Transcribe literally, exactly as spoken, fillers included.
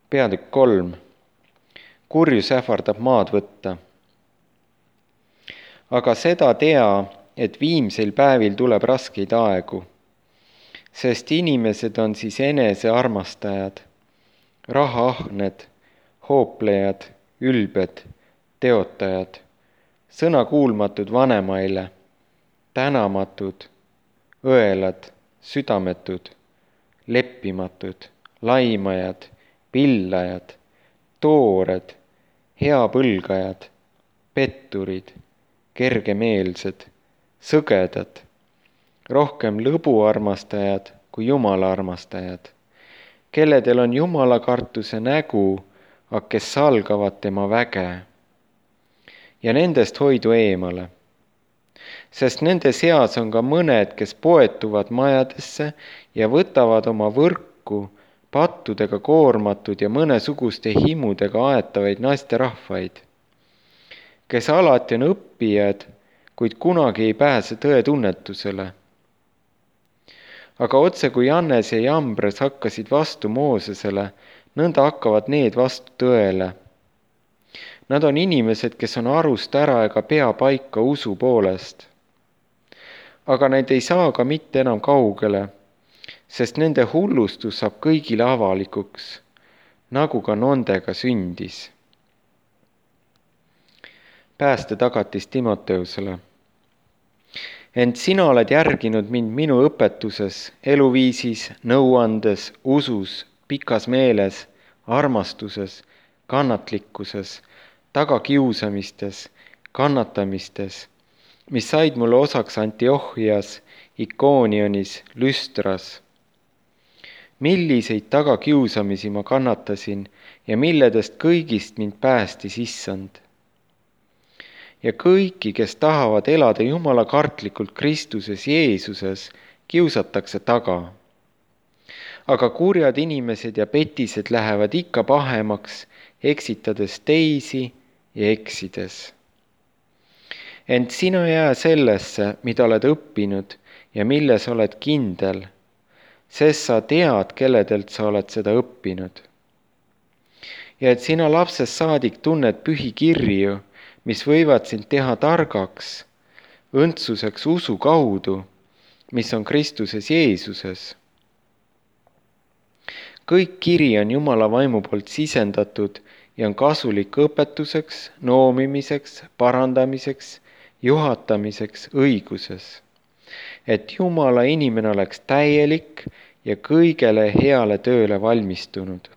Peatükk kolm. Kurjus ähvardab maad võtta. Aga seda tea, et viimsel päevil tuleb raskeid aegu, sest inimesed on siis enese armastajad, rahaahned, hooplejad, ülbed, teotajad, sõnakuulmatud vanemaile, tänamatud, õelad, südametud, leppimatud, laimajad, pillajad, toored, heapõlgajad, petturid, kergemeelsed, sõgedad, rohkem lõbu armastajad kui Jumala armastajad, kelledel on Jumala kartuse nägu, aga kes salgavad tema väge. Ja nendest hoidu eemale, sest nende seas on ka mõned, kes poetuvad majadesse ja võtavad oma võrku pattudega koormatud ja mõnesuguste himudega aetavaid naisterahvaid, kes alati on õppijad, kuid kunagi ei pääse tõetunnetusele. Aga otse kui Jannes ja Jambres hakkasid vastu Moosesele, nõnda hakkavad need vastu tõele. Nad on inimesed, kes on arust ära ega pea paika usu poolest. Aga need ei saa ka mitte enam kaugele, sest nende hullustus saab kõigile avalikuks, nagu ka nondega sündis. Päästetagatis Timoteusele. Ent sina oled järginud mind minu õpetuses, eluviisis, nõuandes, usus, pikas meeles, armastuses, kannatlikkuses, tagakiusamistes, kannatamistes, mis said mulle osaks Antiochias, Ikoonionis, Lüstras. Milliseid tagakiusamisi ma kannatasin ja milledest kõigist mind päästis issand. Ja kõiki, kes tahavad elada Jumala kartlikult Kristuses Jeesuses, kiusatakse taga. Aga kurjad inimesed ja petised lähevad ikka pahemaks, eksitades teisi ja eksides. Ent sina jää sellesse, mida oled õppinud ja milles oled kindel, sest sa tead, kelledelt sa oled seda õppinud. Ja et sina lapsest saadik tunned pühi kirju, mis võivad sind teha targaks, õndsuseks usu kaudu, mis on Kristuses Jeesuses. Kõik kiri on Jumala vaimu poolt sisendatud ja on kasulik õpetuseks, noomimiseks, parandamiseks, juhatamiseks õiguses, et Jumala inimene oleks täielik ja kõigele heale tööle valmistunud.